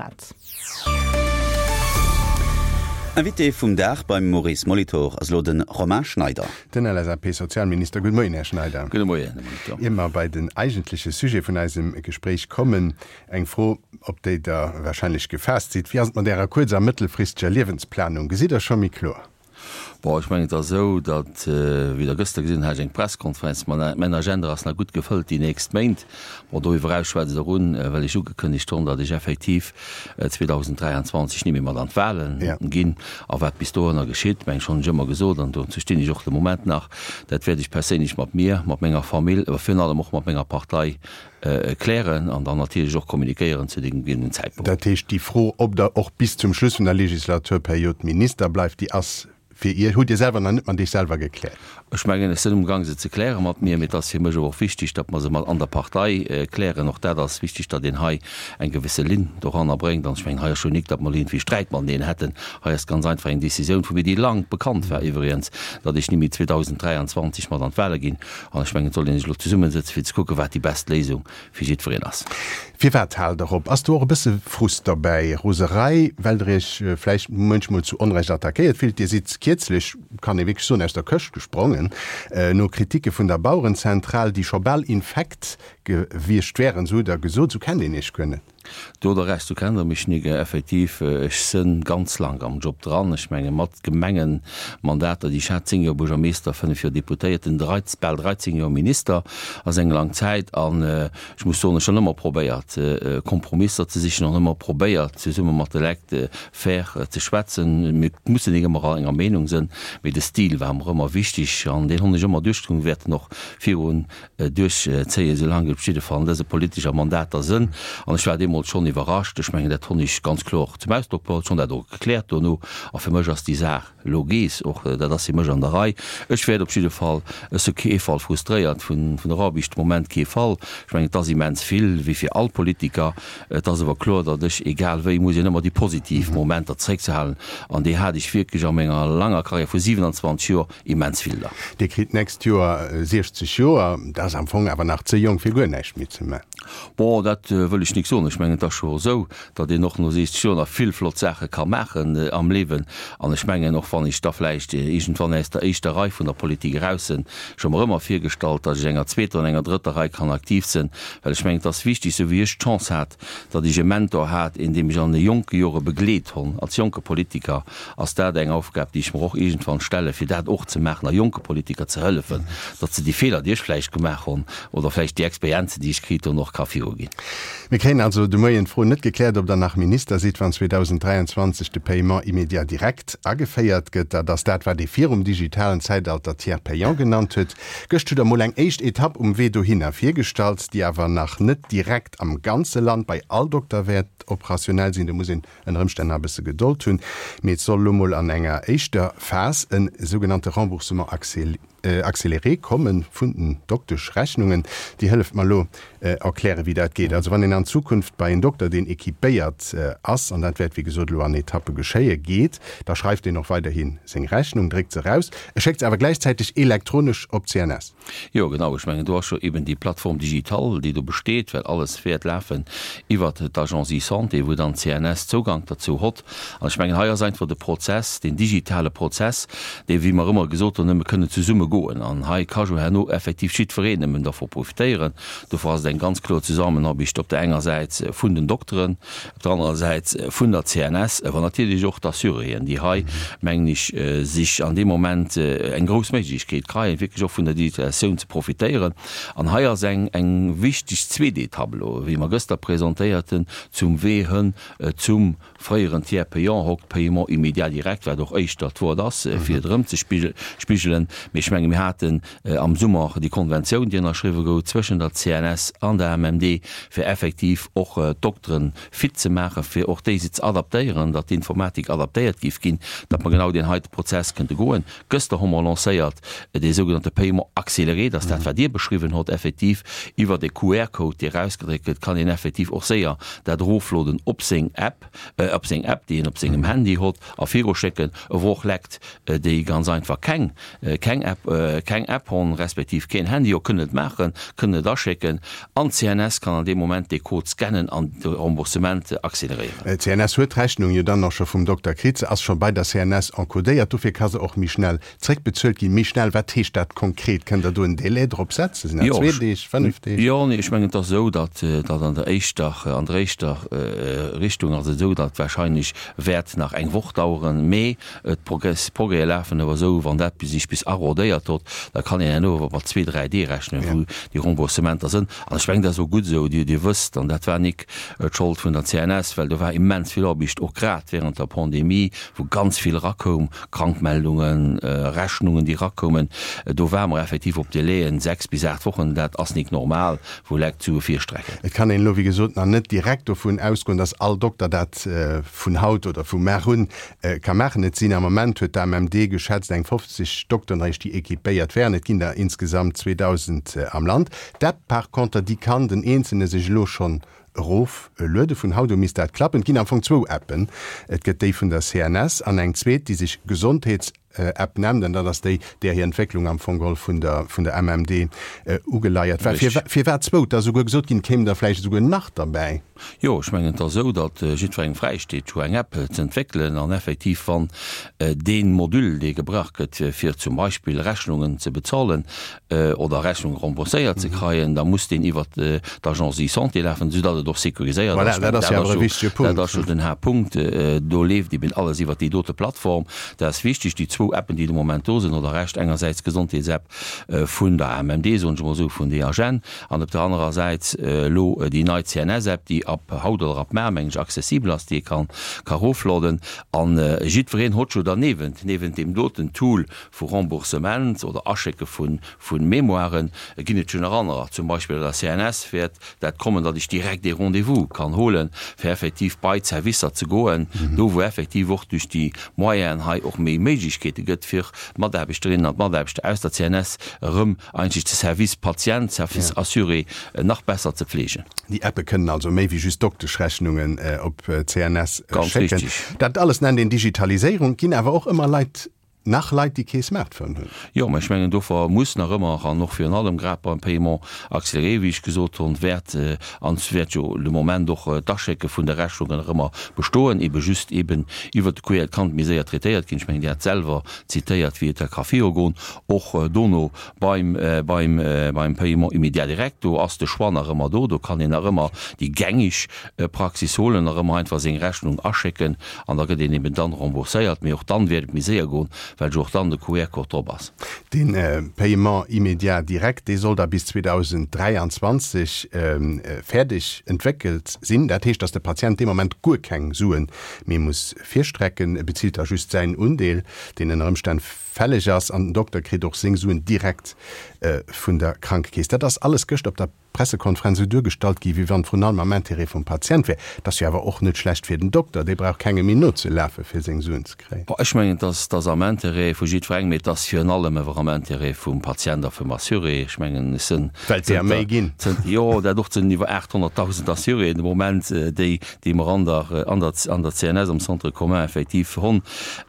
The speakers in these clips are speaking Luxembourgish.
Grad. Invité vum Dag beim Maurice Molitor ass elo de Romain Schneider. Den LSAP-Sozialminister. Gudde Moien, Här Schneider. Gudde Moien, Här Molitor. Ier mer bei den eigentleche Sujet vun eisem Gespréich kommen, eng Fro, op déi Der wahrscheinlech gefaasst sidd, Wéi ass et mat Ärer kuerz a mëttelfristeger Liewensplanung? Gesitt Der scho méi kloer? Bon, ech mengen, et ass esou, datt, wéi Der gëschter gesinn hutt, hat ech eng Presskonferenz. Mäin Agenda ass nach gutt gefëllt déi nächst Méint. Bon, doriwwer eraus schwätzt Der un, well ech ugekënnegt hunn, datt ech effektiv 2023 ni méi mat an d'Wahlen ginn. A wat bis dohinner geschitt, mengen ech, hunn ech ëmmer gesot, an dozou stinn ech och de Moment nach, dat wäert ech perséinlech mat mir, mat menger Famill, awer virun allem och mat menger Partei klären an dann natierlech och kommunikéieren zu deem gegebenen Zäitpunkt. Dat heescht, déi Fro, ob Der och bis zum Schluss vun der Legislaturperiod Minister bleift, déi ass fir Iech, hutt Dir selwer nach net mat Iech selwer gekläert? Ech mengen, ech sinn umgang se ze kläre mat mir, mee et ass fir mech awer och wichtig, datt mer se mat an der Partei klären. Och dat ass wichtig, datt een hei eng gewësse Linn doranner bréngt. An ech mengen, hei ass jo nik, datt mer iergendwéi Sträit mateneen hätten. Hei ass ganz einfach eng Décisioun vu mir, déi lang bekannt war iwwregens, datt ech ni méi 2023 mat an d'Wahle ginn. An ech mengen, et sollt ee sech elo zesummesëtzen, fir ze kucken, wat déi best Léisung fir jiddwereen ass. Firwat haalt Der op? Ass do och e bësse Frust derbäi, Roserei, well Der Iech vläicht muenchmol zu Onrecht attackéiert fillt? Dir sidd kierzlech, kann ee wierklech soen, aus der Këscht gesprongen, no Kriticke vun der Bauerenzentral, déi scho bal infekt gewiescht wären, esou hutt Der gesot. Esou kennt een Iech guer net. Do der Recht, du kennt der mech nik. Effektiv, ech sënn ganz lang am Job dran. Ech menge mat Gemengenmandater, déi ech hat, 10 Joer Buergermeester, 5 Joer Deputéierten, bal 13 Joer Minister, ass eng lang Zäit. An ech muss soen, ech hunn ëmmer probéiert Kompromisser ze sichen, an ëmmer probéiert zesumme mat de Lekt fair ze schwätzen. Mir mussen nik ëmmer all enger Meenung sënn, mee de Stil war mer ëmmer wichteg an deen hunn ech ëmmer duerchgezunn, wäert en och virun duerchzéien, soulaang et op jidde Fall an dëse politescher Mandater sënn. An ech war deemools schonn iwwerrascht. Ech mengen, dat honn ech ganz kloer zum Ausdrock bruecht, ech honn dat och gekläert dono. A fir mech ass déi Saach elo gees. Och dat ass fir mech an der Rei. Ech wäert op jidde Fall, ech si kee Fall frustréiert vun der Aarbecht, de Moment kee Fall. Ech mengen, et ass immens vill, wéi fir all Politiker. Et ass awer kloer, datt ech, egal wéi, muss een ëmmer déi positiv Momenter zréckzehalen. An déi hat ech wierklech a menger langer Karriär vu 27 Joer Immens vill der. Dir kritt d'nächst Joer 60 Joer, dat ass am Fong awer nach ze jonk fir guer näischt méi ze man. Bon, dat wëll ech nik soen. Ech mengen, et ass scho esou, datt een och no 60 Joer nach vill flott Saache ka maachen am Liewen. An ech mengen, och wann ech da vläicht iergendwann aus der éischter Rei vun der Politik eraus sinn, ech hu mer ëmmer virgestallt, datt ech enger zweeter an enger drëtter Rei kann aktiv sinn, well ech mengen, et ass wichtig, esou wéi ech d'Chance hat, datt ech e Mentor hat, een dee mech an de jonke Jore begleet honn als jonke Politiker, ass dat eng Aufgab, déi ech mer och iergendwann stellen, fir dat och ze maachen a jonke Politiker ze hëllefen, datt se déi Feeler, déi ech vläicht gemaach hunn, oder vläicht déi Experienzen, déi ech kritt hunn, och ka viruginn. Mir kréien also de Moien d'Fro net gekläert, ob Der nach Minister sidd, wann 2023 de Paiement immédiat direct ageféiert gëtt. Dat ass dat, wat ee virum digitalen Zäitalter Tiers payant genannt huet. Gëscht hutt Der mol eng éischt Etapp um Wee dohinner virgestallt, déi awer nach net direkt am ganze Land bei all Dokter wäert operationell sinn. Do muss een ënner Ëmstänn nach e bësse Gedold hunn, mee et soll elo mol an enger éischter Phas e sougenannte Remboursement accéléré komme vun den Dokteschrechnungen. Déi hëlleft mer elo erklären, wéi dat geet. Also wann een an Zukunft bei en Dokter, deen équipéiert ass, an dat wäert wéi gesot elo an Etappe geschéie, geet, da schreift deen och weiderhi seng Rechnung, dréckt se eraus, e schéckt se awer gläichzäiteg elektronesch op d'CNS. Jo, genau. Ech mengen, do ass jo eben déi Plateforme digitale, déi do besteet, well alles wäert lafen iwwert d'Agence eSanté, wou dann d'CNS Zougank derzou hott. An ech mengen, hei ass einfach de Prozess, deen digitale Prozess, dee, wéi mer ëmmer gesot hunn, nëmme kënnen zesumme goen. An hei ka jo herno effektiv jiddwereen nëmmen dervu profitéieren. Dofir ass et eng ganz kloer Zesammenarbicht op der enger Säit vun den Dokteren, op der anerer Säit vun der CNS, awer natierlech och d'Assuréen, déi hei, mengen ech, sech an deem Moment eng grouss Méiglechkeet kreien, wierklech och vun der Digitalisatioun ze profitéieren. An hei ass eng, eng wichteg zweet Etapp elo, wéi mer gëster presentéiert hunn, zum Wee hënn zum fréieren Tiers payant, hokt Paiement immédiat direct, wat och éischter d'Wuert ass, fir et erëmzespigelen. Mee ech menge mir haten am Summer déi Konventioun, déi ënnerschriwwe gouf zwëschen der CNS an der MMD, fir effektiv och d'Dokteren fit ze maachen, fir och déi se ze adaptéieren, datt d'Informatik adaptéiert géif ginn, datt mer genau deen heite Prozess kënnte goen. Gëster hu mer lancéiert dee sougenannte Paiement accéléré, dat ass dat, wat Dir beschriwwen hott, effektiv iwwert e QR-Code, dee erausgedréckt gëtt, kann een effektiv och séier dat erofloden op seng App, op seng App, déi een op sengem Handy hott, a viruschécken. E wor och Lekt, déi ganz einfach keng, keng App. keng App honn, respektiv keen Handy ho, kënnen et maachen, kënnen et aschécken an d'CNS kann an deem Moment dee Code scannen an de Remboursement acceleréieren. D'CNS huet d'Rechnung jo dann och scho vum Dokter kritt, se ass scho bei der CNS encodéiert, dofir ka se och méi schnell zréckbezuelt ginn. Méi schnell, wat heescht dat konkret? Kënnt Der do en Délai drop setzen? Sinn dat zwee Deeg, fënnef Deeg? Jo, nee, ech mengen, et ass esou, datt datt an der éischter, an der éischter Richtung ass et esou, datt wahrscheinlech wäert nach eng Woch daueren, mee D'Progrèse lafen awer esou, wann dat sech bis arrodéiert hott, da kann een herno awer mat zwee, dräi Dee rechnen, wou déi Remboursementer sënn. An ech mengen, dat ass och gutt esou. Dir wësst, an dat war nik d'Schold vun der CNS, well do war immens vill Aarbecht, och grad während der Pandemie, wou ganz vill erakoum, Krankmeldungen, Rechnungen, déi erakoumen. Do ware mer effektiv op Délaiën, sechs bis aacht Wochen, dat ass nik normal, wou Lekt d'Sue virstrecken. Et kann een elo, wéi gesot, nach net direkt dovun ausgoen, dass all Dokter dat vun haut oder vu mar un ka maachen. Et sinn am Ament, huet d'AMMD geschätzt, eng 50 Dokteren eréischt, déi equipéiert wären. Et ginn der insgesamt 2.000 am Land. D'App par conter, déi kann den Eenzelne sech elo schonn eroflueden. Vun haut u misst dat klappen. Et ginn am Fong zwou Appen. Et gëtt déi vun der CNS an eng zweet, déi sech Gesondheets-App nennt. An dat ass déi, där hir Entwécklung am Fong geholl vun der vun der MMD ugeleiert war. Firwat zwou? Et ass esouguer gesot ginn, et kéimen der vläicht esouguer nach derbäi. Jo, ech mengen, et ass esou, datt jiddwerengem fräisteet, scho eng App ze entwéckelen. An effektiv, wann dee Module, dee gebraucht gëtt, fir zum Beispill Rechnungen ze bezolen oder Rechnunge rembourséiert ze kreien, da muss deen iwwert d'Agence eSanté lafen, soudatt et och sécuriséiert ass. Voilà, dat ass jo awer e wichtege Punkt. Dat ass jo den Haaptpunkt. Do leeft eben alles iwwert déi dote Plattform. Dat ass wichteg. Déi zwou Appen, déi de Moment do sinn, oder Recht, engersäits d'Gesondheetsapp vun der AMMD, soen ech emol esou, vun DHN, An op der anerer Säit elo déi nei CNS-App, déi ab haut oder ab mar, mengen ech, accessibel ass, déi ee kann ka rofloden. An jiddwereen hott jo derniewent, niewent deem doten Tool vu Remboursement oder Aschécke vu vu Mémoiren, ginn et jo nach anerer. Zum Beispill bei der CNS wäert dat kommen, datt ech direkt ee Rendez-vous kann holen, fir effektiv bei d'Servicer ze goen, do wou effektiv och duerch déi Moyenen hei och méi Méiglechkeete gëtt, fir d'Mataarbechterinnen an d'Mataarbechter aus der CNS erëm eigentlech de Service Patient, Service Assuré nach besser ze pflegen. Déi Appe kënnen also méi wéi just Dokteschrechnungen op d'CNS Ganz schécken. richtig. Dat alles nennt een Digitaliséierung. Et ginn awer och ëmmer Leit, nach Leit, déi kee Smartphone hunn. Jo, mä ech mengen, dofir muss nach ëmmer, an och virun allem grad beim Paiement accéléré, wéi ech gesot hunn, wäert, an et wäert jo de Moment och d'Aschécke vun de Rechnungen nach ëmmer bestoen, ebe just eben iwwert de QR, et kann méi séier traitéiert ginn. Ech mengen, Dir hat selwer zitéiert, wéi et da ka virugoen. Och dono beim, beim, beim Paiement immédiat direct, do ass de Choix nach ëmmer do. Do kann een nach ëmmer déi gängig Praxis holen, nach ëmmer einfach seng Rechnung aschécken an da gëtt een eben dann rembourséiert. Mee och dann wäert et méi séier goen, well jo och dann de QR-Code drop ass. Dee Paiement immédiat direct, dee soll da bis 2023 fäerdeg entwéckelt sinn. Dat heescht, datt de Patient dee Moment guer keng Sue méi muss virstrecken. E bezilt da just säin Undeel, deen ënner Ëmstänn fälleg ass an den Dokter kritt och seng Suen direkt vun der Krankekeess. Dat ass alles gëscht op der Pressekonferenz esou duergestallt gi wéi wann et vrun allem am Intérêt vum Patient wär. Et ass jo awer och net schlecht fir den Dokter, dee brauch kengem méi nozelafe fir seng Suen ze kréien. Bon, ech mengen, et ass, et ass am Intérêt vu jiddwerengem, mee et ass virun allem awer am Intérêt vum Patient a vum Assuré. Ech mengen, ech sinn Well et der méi zënter, ginn. zënter, jo, dat och, et sinn iwwer 800.000 Assuréen de Moment, déi, déi mer an der, an der, an der CNS, am Centre commun effektiv honn.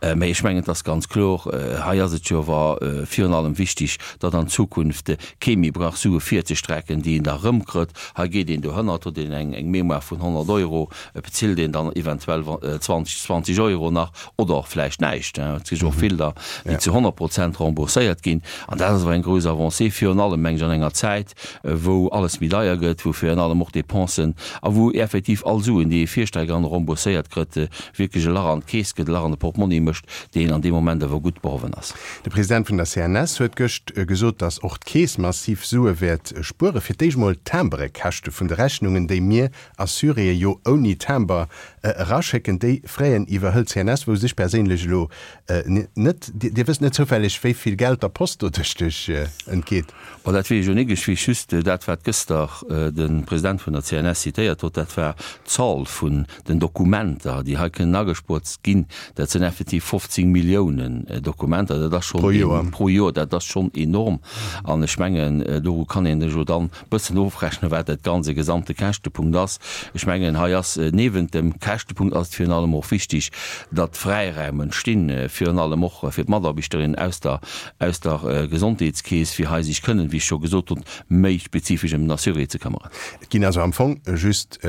Mä ech mengen, et ass ganz kloer, hei ass et jo awer virun allem wichtig, datt an Zukunft kee méi brauch Sue virzestrecken, déi een da erëmkrëtt. Hei geet een dohënnert, huet een eng, eng Mémoire vun 100 Euro, et bezilt een dann eventuell 20, 20 Euro nach oder och vläicht näischt. Et gi jo och vill der, déi zu 100 Prozent rembourséiert ginn. An dat ass awer eng grouss Avancée, virun allem, meng ech, an enger Zäit, wou alles méi deier gëtt, wou virun allem och Dépensen a wou effektiv all Suen, déi ee virstreckt an rembourséiert kritt, wierklech e Lach an d'Keess gëtt, e Lach an de Portmonni mécht, deen an deem Moment awer gutt behowen ass. De President vun der CNS huet gëscht gesot, datt och d'Keess massiv Sue wäert spueren. Fir d'éischt mol d'Timbrekäschte vun de Rechnungen, déi mir Assuréë jo ouni Timber eraschécken, déi Fräen iwwerhëlt d'CNS, wousst ech perséinlech elo net. Dir wësst net zoufälleg, wéi vill Geld der Post doduerch entgeet? Bon, dat weess ech jo nik. Ech weess just dat, wat gëster de President vun der CNS zitéiert huet, dat war d'Zal vun den Dokumenter, déi hei kënnen agespuert ginn. Dat sinn effektiv 15 Milliounen Dokumenter. Patienter, dat ass schonn. Pro Joer. Pro Joer, dat ass schonn enorm. An ech mengen, doru kann een elo dann e bëssen ofrechnen, wat dat ganze gesamte Käschtepunkt ass. Ech mengen, hei ass niewent dem Käschtepunkt ass et virun allem och wichtig, datt Fräiräim entstinn, virun allem och fir d'Mataarbechterinnen aus der, aus der Gesondheetskeess, fir hei sech kënnen, wéi ech scho gesot hunn, méi spezifesch ëm den Assuré ze këmmeren. Et ginn also am Fong just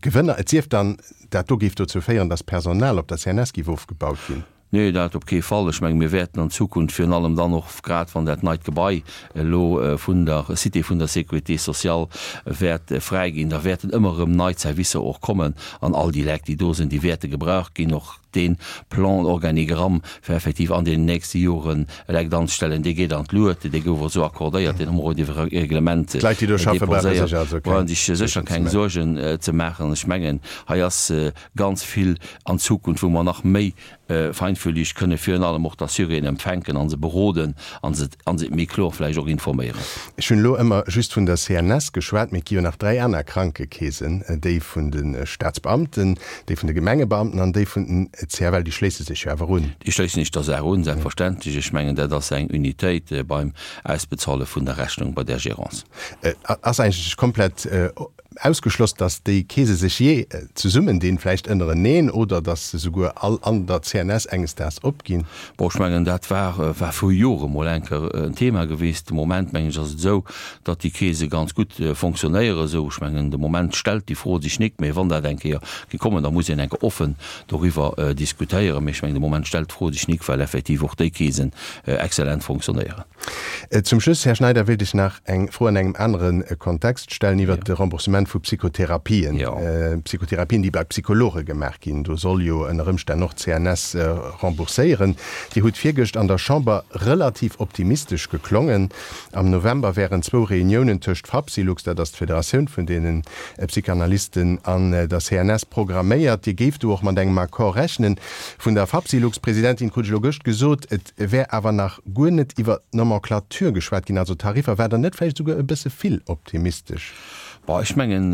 Gewënner, et sief dann, dat do géif dozou féieren, datt Personal op der CNS géif ofgebaut ginn. Nee, dat op kee Fall. Ech menge mir wäerten an Zukunft virun allem dann och, grad wann dat neit Gebai elo vun der Cité vun der Sécurité sociale wäert fräi ginn, da wäerten ëmmer erëm nei Servicer och kommen an all déi Leit, déi do sinn, déi wäerte gebraucht ginn. Och dee Plan organigramme fir effektiv an deenen nächste Joren Lekt anzestellen, dee geet an d'Luet, dee gouf och esou accordéiert, deen hu mer och iwwer e Reglement D'Leit, déi do schaffe, brauche sech also keng Brauche sech sécher keng Suergen ze maachen. Ech mengen, hei ass ganz vill an Zukunft, wou mer nach méi feinfühlig kënne virun allem och d'Assuréen empfänken a se beroden a se a se méi kloer vläicht och informéieren. Ech hunn elo ëmmer just vun der CNS geschwat, mee et gi jo nach 3 aner Krankekeesen, déi vun de Staatsbeamten, déi vun de Gemengebeamten an déi vun den CFL. Déi schléisse sech jo awer un. Déi schléissen sech der Saach un, selbstverständlech. Ech mengen, dat ass eng Unitéit beim Ausbezahle vun der Rechnung bei där Gérance. Ass eigentlech komplett Ausgeschloss, datt déi Keese sech jee zesummendinn, vläicht ënnereneen, oder datt se souguer all an der CNS enges Daags opginn. Bon, ech mengen, dat war war vru Jore mol eng Kéier en Thema gewiescht. De Moment, mengen ech, ass et esou, datt déi Keese ganz gutt fonctionnéieren esou. Ech mengen, de Moment stellt déi Fro sech nik, mä wann dat eng Kéier géing kommen, da muss een eng Kéier offen doriwwer diskutéieren. Mä ech mengen, de Moment stellt d'Fro sech nik, well effektiv och déi Keesen exzellent fonctionnéieren. Zum Schluss, Här Schneider, wéilt ech nach eng Fro an engem anere Kontext stellen iwwert de Remboursement vu Psychotherapien. Psychotherapien, déi bei Psychologe gemaach ginn. Do soll jo ënner Ëmstänn och d'CNS rembourséieren. Dir hutt virgëscht an der Chamber relativ optimistesch geklongen. Am November wären zwou Reuniounen tëscht Fapsylux, dat ass d'Federatioun vun deene Psychanalysten, an der CNS programméiert. Dir géift do och mat engem Accord rechnen. Vun der Fapsylux-Presidentin krut ech elo gëscht gesot, et Et wär awer nach guer net iwwer d'Nomenclature geschwat ginn, also d'Tariffer. War der net vläicht esouguer e bësse vill optimistesch? Bon, ech mengen,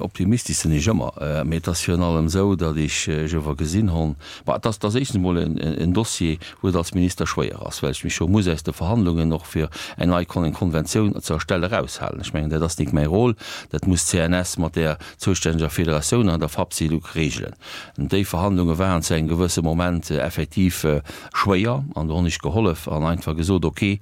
optimistesch sinn ech ëmmer, mee et ass virun allem esou, datt ech ower gesinn honn, bon, et ass, et ass éischtens emol en Dossier, wou et als Minister schwéier ass, well ech mech scho muss aus de Verhandlungen och fir eng nei Konventioun ze erstelle eraushalen. Ech mengen, dat ass nik mäi Rôle, dat muss d'CNS mat där zoustänneger Federatioun an der Fapsylux regelen. Déi Verhandlunge waren zu engem gewësse Moment effektiv schwéier an do hunn ech gehollef an einfach gesot, ok,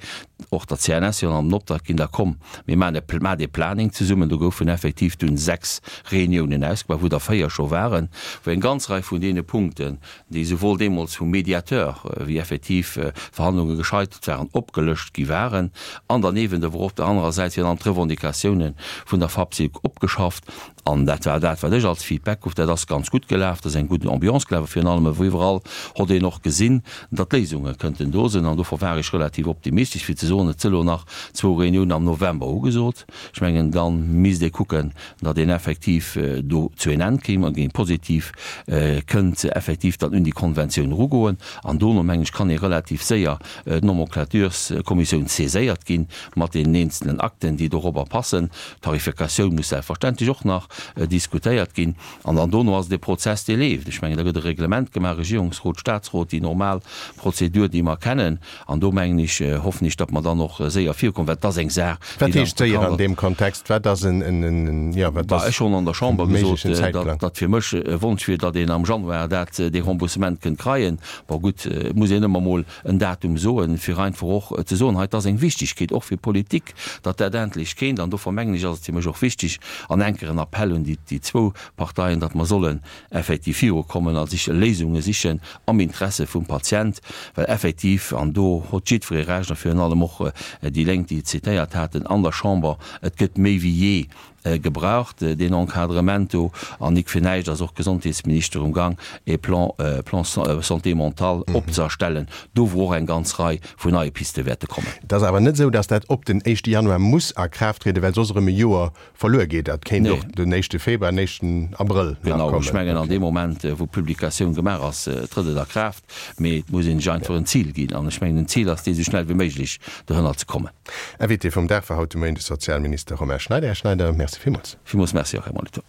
och der CNS jo an den Optrag ginn, da komm mir maachen e maacht ee Planning zesummen. Do goufen effektiv dunn 6 Reuniounen ausgemaach, wou der 4 scho waren, wou eng ganz Rei vun deene Punkten, déi souwuel deemools vum Mediateur wéi effektiv d'Verhandlunge gescheitert waren, opgelëscht gi waren an derniewent awer och op der anerer Säit virun allem d'Revendicatiounen vun der FAPSILC opgeschafft. An dat war dat, wat ech als Feedback krut. Dat ass ganz gutt gelaf, dat ass eng gutt Ambiance gelaf a virun allem ewéi iwwerall hott een och gesinn, datt Léisunge kënnten do sinn. An dofir war ech relativ optimistesch, fir ze soen, et si lo nach zwou Reuniounen am November ugesot. Ech mengen, da misst ee kucken, datt een effektiv do zu een Enn kéim an géing positiv kënnt effektiv dann un déi Konventioun erugoen. An dono, mengen ech, kann ee relativ séier d'Nomenclatureskommissioun saiséiert ginn mat deenen eenzelen Akten, déi dorobber passen. D'Tarifikatioun muss selbstverständlech och nach diskutéiert ginn. An dann dono ass et e Prozess, dee leeft. Ech mengen, da gëtt e Reglement gemaach, Regierungsrot, Statsrot, déi normal Prozedur, déi mer kennen. An do, mengen ech, hoffen ech, datt mer dann och séier virkommen, well et ass eng Saach, déi Wat heescht séier an deem Kontext? Wat ass en, jo, wat ass Ech hunn an der Chamber gesot, datt fir mech e Wonsch wier, datt een am Januar dat, dee Remboursement kënnt kreien. Bon, gutt, et muss een ëmmer emol en Datum soen, fir einfach och ze soen, hei, et ass eng Wichtigkeet och fir d'Politik, datt dat endlech kéint. An dofir mengen ech, ass et fir mech och wichteg an enker en Appell un déi zwou Parteien, datt mer sollen effektiv virukommen a sich Léisunge sichen am Interesse vum Patient, well effektiv, an do hott jiddweree Recht a virun allem och déi Lénk, déi et zitéiert haten an der Chamber, et gëtt méi wéi jee gebraucht, deen Encadrement do. An nik fir näischt ass och d'Gesondheetsminister um Gang, e Plan, Plan santé mentale opzëerstellen, do wou och eng ganz Rei vun neie Piste wäerte kommen. Et ass awer net esou, datt dat op den éischte Januar muss a Kraaft trieden, well soss erëm e Joer verluer geet. Dat kéint och den éischte Februar, den éischten Abrëll nach kommen. Genau, ech mengen an deem Moment, wou d'Publikatioun gemaach ass, trëtt et a Kraaft. Mee et muss een sech einfach en Zil ginn. An ech mengen, den Zil ass dee, esou schnell wéi méiglech dohënner ze kommen. Invité vum Dag war haut de Moien de Sozialminister Romain Schneider. Här Schneider, Merci villmools. Villmools Merci och, Här Molitor.